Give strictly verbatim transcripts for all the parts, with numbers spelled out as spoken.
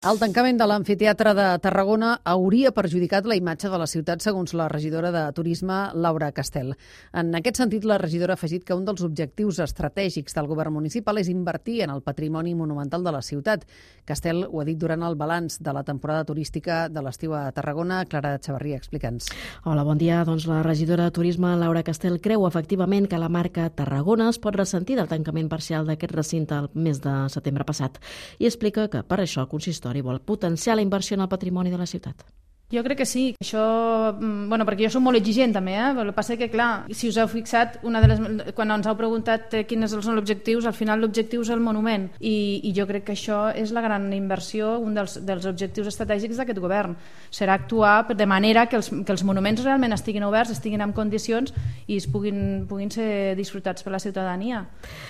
El tancament de l'amfiteatre de Tarragona hauria perjudicat la imatge de la ciutat, segons la regidora de Turisme, Laura Castel. En aquest sentit, la regidora ha afegit que un dels objectius estratègics del govern municipal és invertir en el patrimoni monumental de la ciutat. Castel ho ha dit durant el balanç de la temporada turística de l'estiu a Tarragona. Clara Xavarria, explica'ns. Hola, bon dia. Doncs la regidora de Turisme, Laura Castel, creu efectivament que la marca Tarragona es pot ressentir del tancament parcial d'aquest recinte el mes de setembre passat i explica que per això el consistori vol potenciar la inversió en el patrimoni de la ciutat. Jo crec que sí. Això, bueno, perquè jo soc molt exigent també, eh? El que passa és que, clar, si us heu fixat, una de les, quan ens heu preguntat quins són els objectius, al final l'objectiu és el monument. I, i jo crec que això és la gran inversió, un dels, dels objectius estratègics d'aquest govern. Serà actuar de manera que els, que els monuments realment estiguin oberts, estiguin en condicions i es puguin, puguin ser disfrutats per la ciutadania.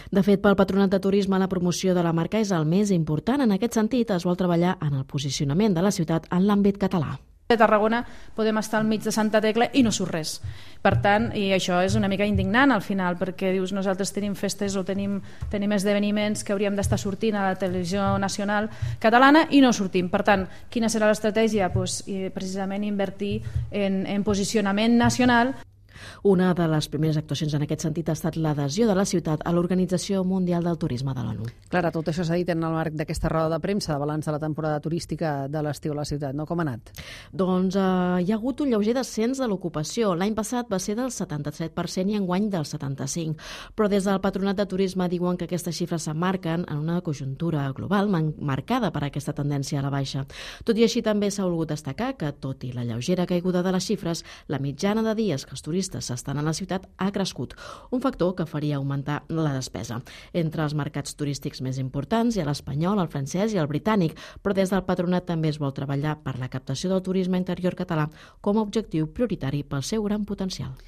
De fet, pel Patronat de Turisme, la promoció de la marca és el més important. En aquest sentit, es vol treballar en el posicionament de la ciutat en l'àmbit català. A Tarragona podem estar al mig de Santa Tecla i no surt res. Per tant, i això és una mica indignant al final, perquè dius, nosaltres tenim festes o tenim, tenim esdeveniments que hauríem d'estar sortint a la televisió nacional catalana i no sortim. Per tant, quina serà l'estratègia? Pues, precisament invertir en, en posicionament nacional. Una de les primeres actuacions en aquest sentit ha estat l'adhesió de la ciutat a l'Organització Mundial del Turisme de l'ONU. Clara, tot això s'ha dit en el marc d'aquesta roda de premsa de balanç de la temporada turística de l'estiu a la ciutat, no? Com ha anat? Doncs eh, hi ha hagut un lleuger descens de l'ocupació. L'any passat va ser del setanta-set per cent i enguany del setanta-cinc per cent. Però des del Patronat de Turisme diuen que aquestes xifres s'emmarquen en una conjuntura global marcada per aquesta tendència a la baixa. Tot i així, també s'ha volgut destacar que, tot i la lleugera caiguda de les xifres, la mitjana de dies que els turistes s'estan a la ciutat ha crescut, un factor que faria augmentar la despesa. Entre els mercats turístics més importants hi ha l'espanyol, el francès i el britànic, però des del Patronat també es vol treballar per la captació del turisme interior català com a objectiu prioritari pel seu gran potencial.